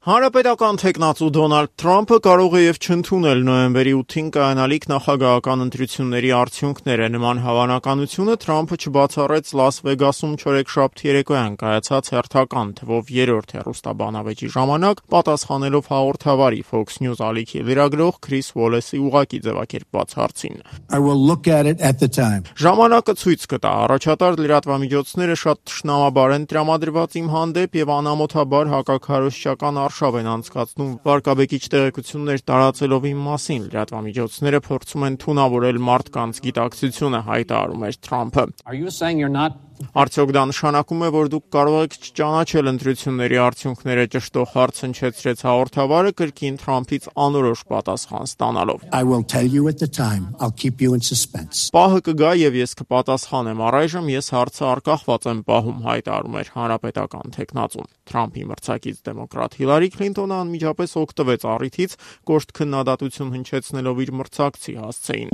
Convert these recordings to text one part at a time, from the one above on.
Հանրապետական թեկնածու Դոնալդ Թրամփը կարող է եւ չընդունել նոյեմբերի 8-ին կայանալիք նախագահական ընտրությունների արդյունքները։ Նման հավանականությունը Թրամփը չբացառեց Լաս Վեգասում չորեքշաբթի երեկոյան կայացած հերթական թվով երրորդ հեռուստաբանավեճի ժամանակ, պատասխանելով հաղորդավարի Fox News ալիքի լրագրող Քրիս Ուոլեսի ուղղակի ձևակերպված հարցին։ Ժամանակը ցույց կտա, առաջատար լրատվամիջոցները շատ թշնամաբար են տրամադրված իմ հանդեպ եւ անամոթաբար հակաքարոզչական արշավ են անցկացնում վարկաբեկիչ տեղեկություններ տարածելով իմ մասին, լրատվամիջոցները փորձում են թունավորել մարդկանց գիտակցությունը, հայտարարում էր Թրամփը։ Արդյոք դա նշանակում է, որ դուք կարող եք չճանաչել ընտրությունների արդյունքները, ճշտող հարց հնչեցրեց հաղորդավարը կրկին Թրամփից անորոշ պատասխան ստանալով։ Պահը կգա եւ ես կպատասխանեմ, առայժմ ես հարցը արկախված եմ պահում, հայտարարում էր հանրապետական թեկնածուն։ Թրամփի մրցակից դեմոկրատ Հիլարի Քլինտոնը անմիջապես օգտվեց առիթից, կոշտ քննադատություն հնչեցնելով իր մրցակցի հասցեին։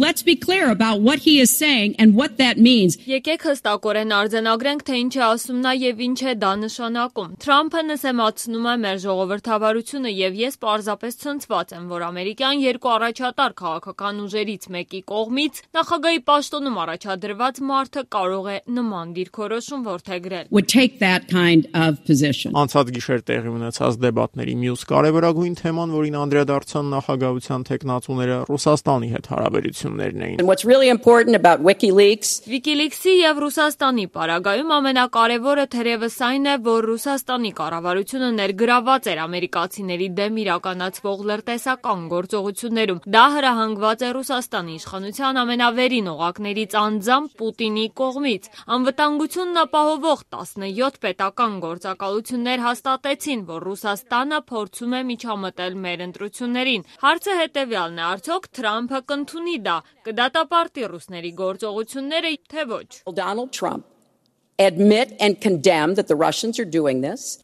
Եկեք հստակորեն արձանագրենք, թե ինչ է ասում նա եւ ինչ է դա նշանակում։ Թրամփը նսեմացնում է մեր ժողովրդավարությունը եւ ես պարզապես ցնցված եմ, որ ամերիկյան երկու առաջատար քաղաքական ուժերից մեկի կողմից նախագահի պաշտոնում առաջադրված մարդը կարող է նման դիրքորոշում որդեգրել։ Անցած գիշեր տեղի ունեցած դեբատների մյուս կարևորագույն թեման, որին անդրադարձան նախագահության թեկնածուները, Ռուսաստանի հետ հարաբերություններն էին։ WikiLeaks-ի եւ Ռուսաստանի պարագայում ամենակարևորը թերևս այն է, որ Ռուսաստանի կառավարությունը ներգրավված էր ամերիկացիների դեմ իրականացվող լրտեսական գործողություններում։ Դա հրահանգված է Ռուսաստանի իշխանության ամենավերին օղակներից անձամբ Պուտինի կողմից։ Անվտանգությունն ապահովող 17 պետական գործակալություններ հաստատեցին, որ Ռուսաստանը փորձում է միջամտել մեր ընտրություններին։ Հարցը հետևյալն է, արդյոք Թրամփը կընդունի դա, կդատապարտի ռուսների գործողությունները, թե ոչ։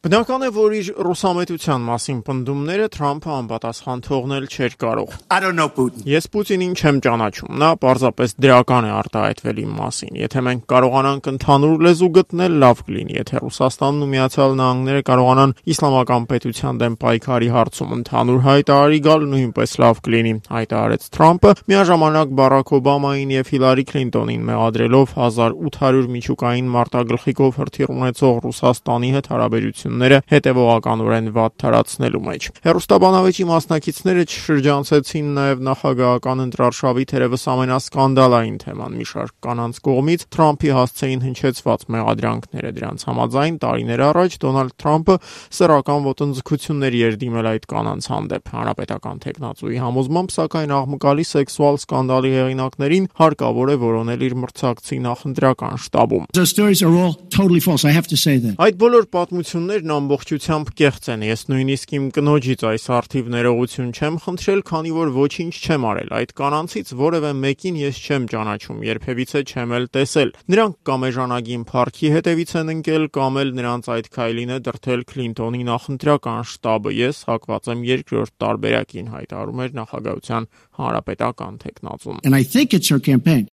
Բնական է, որ իր ռուսամետության մասին պնդումները Թրամփը անպատասխան թողնել չէր կարող։ Ես Պուտինին չեմ ճանաչում, նա պարզապես դրական է արտահայտվել իմ մասին։ Եթե մենք կարողանանք ընդհանուր լեզու գտնել, լավ կլինի, եթե Ռուսաստանն ու Միացյալ Նահանգները կարողանան իսլամական պետության դեմ պայքարի հարցում ընդհանուր հայտարարի գալ, նույնպես լավ կլինի, հայտարարեց Թրամփը, միաժամանակ Բարաք Օբամային եւ Հիլարի Քլինտոնին մեղադրելով 1800 միջուկային մարտագլխիկով հրթիռ ունեցող Ռուսաստանի հետ հարաբերությունները հետևողականորեն վատ թարացնելու մեջ։ Հեռուստաբանավեճի մասնակիցները չշրջանցեցին նաեւ նախագահական ընտրարշավի թերևս ամենասկանդալային թեման՝ մի շարք կանանց կողմից Թրամփի հասցեին հնչեցված մեղադրանքները։ Դրանց համաձայն տարիներ առաջ Դոնալդ Թրամփը սեռական ոտնձգությունների էր դիմել այդ կանանց հանդեպ։ Հանրապետական թեկնածուի համոզմամբ, սակայն աղմկալի սեքսուալ սկանդալի հեղինակներին հարկավոր է որոնել իր մրցակցի նախընտրական շտաբում։ Այդ բոլոր պատմություններն ամբողջությամբ կեղծ են։ Ես նույնիսկ իմ կնոջից այս առթիվ ներողություն չեմ խնդրել, քանի որ ոչինչ չեմ արել։ Այդ կանանցից որևէ մեկին ես չեմ ճանաչում, երբևիցե չեմ էլ տեսել։ Նրանք կամ էժանագին փառքի հետևից են ընկել, կամ էլ նրանց այդ քայլին է դրդել Քլինտոնի նախընտրական շտաբը։ Ես հակված եմ երկրորդ տարբերակին, հայտարարում էր նախագահության հանրապետական թեկնածուն։